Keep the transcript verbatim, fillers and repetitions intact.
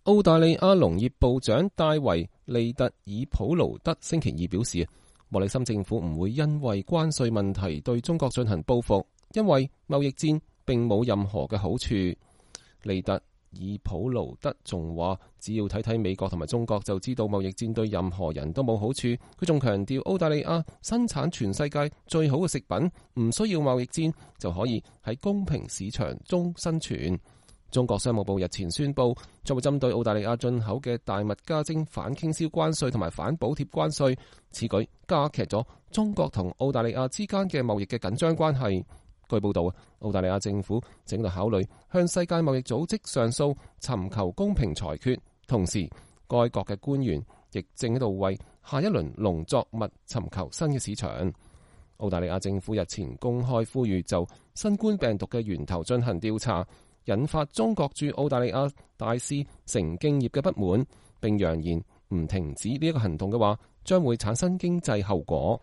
澳大利亞農業部長戴維利特爾普勞德星期二表示，莫里森政府唔會因為關稅問題對中國進行報復，因為貿易戰並冇任何嘅好處。利特爾普勞德仲話，只要睇睇美國同埋中國就知道貿易戰對任何人都冇好處。佢仲強調，澳大利亞生產全世界最好嘅食品，唔需要貿易戰就可以喺公平市場中生存。中國商務部日前宣布，將會針對澳大利亞進口嘅大麥加徵反傾銷關稅同埋反補貼關稅，此舉加劇咗中國同澳大利亞之間嘅貿易嘅緊張關係。據報道，澳大利亞政府正在考慮向世界貿易組織上訴，尋求公平裁決。同時，該國嘅官員亦正喺度為下一輪農作物尋求新嘅市場。澳大利亞政府日前公開呼籲就新冠病毒嘅源頭進行調查，引發中國駐澳大利亞大使成敬業嘅不滿，並揚言唔停止呢一個行動嘅話，將會產生經濟後果。